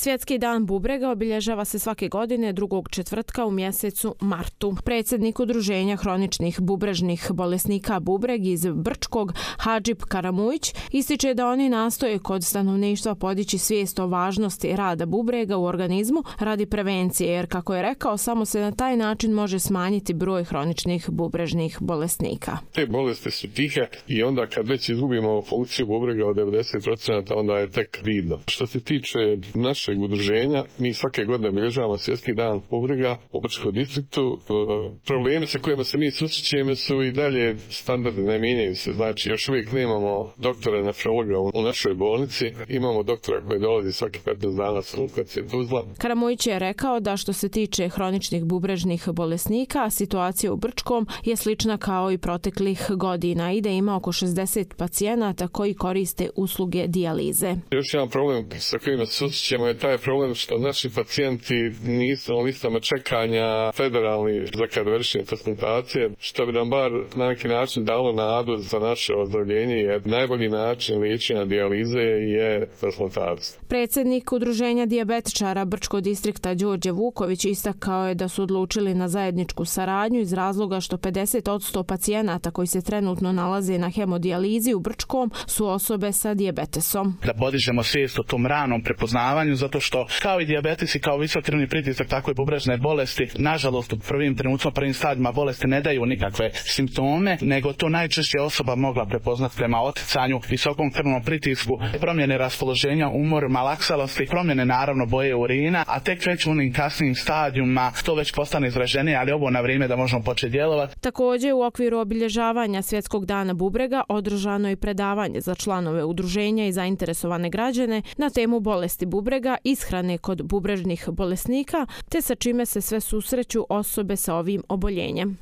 Svjetski dan bubrega obilježava se svake godine drugog četvrtka u mjesecu martu. Predsjednik Udruženja hroničnih bubrežnih bolesnika bubreg iz Brčkog, Hadžip Karamujić, ističe da oni nastoje kod stanovništva podići svijest o važnosti rada bubrega u organizmu radi prevencije, jer kako je rekao, samo se na taj način može smanjiti broj hroničnih bubrežnih bolesnika. Te bolesti su tihe i onda kad već izgubimo funkciju bubrega od 90%, onda je tek vidno. Što se tiče našeg udruženja, mi svake godine obilježavamo Svjetski dan bubrega u Brčkom distriktu. Problemi sa kojima se mi susrećemo su i dalje standardni, ne mijenjaju se. Znači, još uvijek nemamo doktora nefrologa u našoj bolnici. Imamo doktora koji dolazi svaki 15 dana sa lokacije Tuzla. Karamujić je rekao da što se tiče hroničnih bubrežnih bolesnika, situacija u Brčkom je slična kao i proteklih godina i da ima oko 60 pacijenata koji koriste usluge dijalize. Još jedan problem sa kojima se susrećemo je taj problem što naši pacijenti nisu na listama čekanja federalni za kad vršenje transplantacije, što bi nam bar na neki način dalo nadu za naše ozdravljenje, jer najbolji način liječenja dijalize je transplantacija. Predsjednik Udruženja dijabetičara Brčkog distrikta Đorđe Vuković istakao je da su odlučili na zajedničku saradnju iz razloga što 50% pacijenata koji se trenutno nalaze na hemodijalizi u Brčkom su osobe sa dijabetesom. Da podižemo svijest o tom ranom prepoznavanju, zato što kao i dijabetes i kao visok krvni pritisak, tako i bubrežne bolesti, nažalost u prvim stadijima bolesti ne daju nikakve simptome, nego to najčešće osoba mogla prepoznati prema oticanju, visokom krvnom pritisku, promjene raspoloženja, umor, malaksalosti, promjene naravno boje urina, a tek već u onim kasnijim stadijima to već postane izraženije, ali ovo na vrijeme da možemo početi djelovati. Također u okviru obilježavanja Svjetskog dana bubrega održano je predavanje za članove udruženja i zainteresovane građane na temu bolesti bubrega, ishrane kod bubrežnih bolesnika, te sa čime se sve susreću osobe sa ovim oboljenjem.